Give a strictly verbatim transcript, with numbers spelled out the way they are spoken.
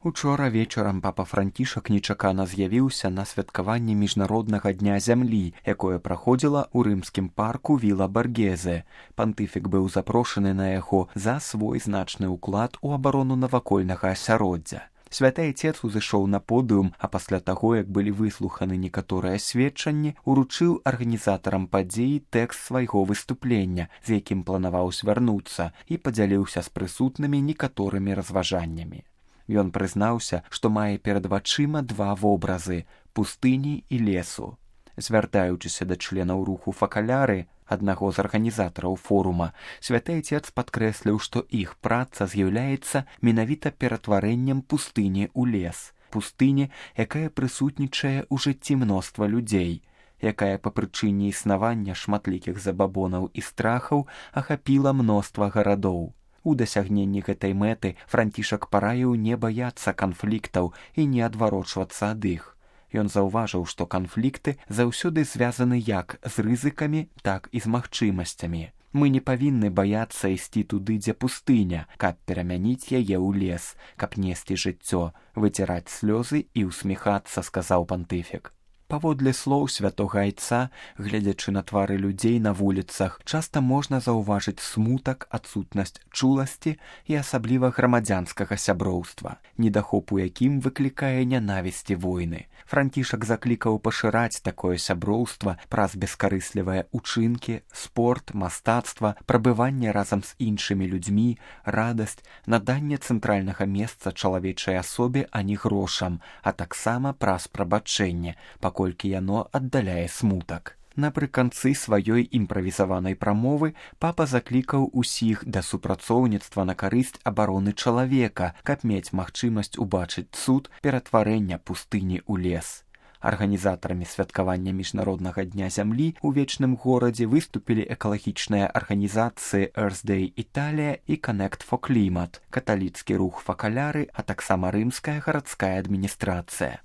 Учора вечарам папа Францішак нечакана з'явіўся на святкаванні міжнароднага дня зямлі, якое праходзіла ў рымскім парку Віла Баргезе. Пантыфік быў запрошаны на яго за свой значны ўклад у абарону навакольнага асяроддзя. Святы Айцец узышоў на подыум, а пасля таго, як былі выслуханы некаторыя сведчанні, уручыў арганізатарам падзеі тэкст свайго выступлення, з якім планаваў звярнуцца, і падзяліўся з прысутнымі некаторымі разважаннямі. Ён прызнаўся, што мае перад вачыма два вобразы – пустыні і лесу. Звяртаючыся да членаў руху «Факаляры», аднаго з арганізатараў форума, Святы Айцец падкрэсліў, што іх праца з'яўляецца менавіта ператварэннем пустыні ў лес. Пустыні, якая прысутнічае ў жыцці мноства людзей, якая па прычыне існавання шматлікіх забабонаў і страхаў ахапіла мноства гарадоў. У дасягненні гэтай мэты Францішак параіў не баяцца канфліктаў і не адварочвацца ад іх. Ён заўважыў, што канфлікты заўсёды звязаны як з рызыкамі, так і з магчымасцямі. Мы не павінны баяцца ісці туды, дзе пустыня, каб перамяніць яе ў лес, каб несці жыццё, выціраць слёзы і ўсміхацца, сказаў пантыфік. Паводле слоў святога Айца, гледзячы на твары людзей на вуліцах, часта можна заўважыць смутак, адсутнасць чуласці і асабліва грамадзянскага сяброўства, недахоп у якім выклікае нянавісць і войны. Францішак заклікаў пашыраць такое сяброўства праз бескарыслівыя ўчынкі, спорт, мастацтва, прабыванне разам з іншымі людзьмі, радасць, наданне цэнтральнага месца чалавечай асобе, а не грошам, а таксама праз прабачэнне, паколькі яно аддаляе смутак. Напрыканцы сваёй імправізаванай прамовы папа заклікаў усіх да супрацоўніцтва на карысць абароны чалавека, каб мець магчымасць убачыць цуд ператварэння пустыні ў лес. Арганізатарамі святкавання міжнароднага дня зямлі ў вечным горадзе выступілі экалагічныя арганізацыі Earth Day Italia і Connect for Climate, каталіцкі рух «Факаляры», а таксама рымская гарадская адміністрацыя.